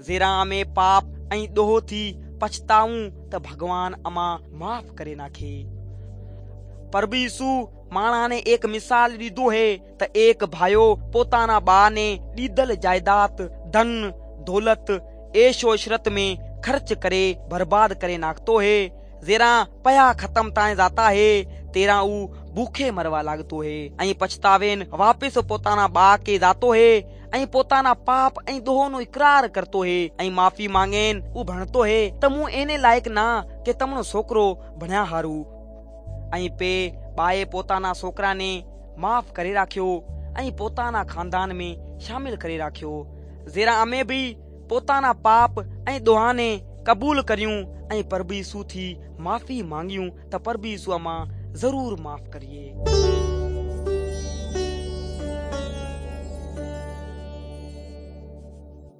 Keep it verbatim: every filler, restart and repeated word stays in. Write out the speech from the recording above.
ज़ेरा अमे पाप ऐं ॾोह थी पछताऊं त भॻवान अमां माफ़ करे नाखे। प्रभु यीशु माणा ने एक मिसाल ॾींदो है त एक भाइयो पोताना बा ने ॾींदल जायदाद, धन दौलत ऐशो इशरत में खर्च करे बर्बाद करे नाखतो है। ज़ेरा पया खत्म ताए जाता है तेरा ऊ भूखे मरवा लागतो है ऐं पछतावेन वापस पोताना बा के जातो है ऐं पोताना पाप ऐं ॾोह नो इकरार करतो है ऐं माफ़ी मांगेन ऊ भणतो है त मूं एने लाइक़ ना के तमणो छोकिरो भणिया हारू। ऐं पे बाए पोताना छोकरा ने माफ़ करे राख्यो ऐं पोताना ख़ानदान में शामिल करे राख्यो। ज़ेरा अमे बि पोताना पाप ऐं ॾोहा ने क़बूल करियूं ऐं प्रभु यीशु थी माफ़ी मांगियूं त प्रभु यीशु अमां ज़रूर माफ़ करिए।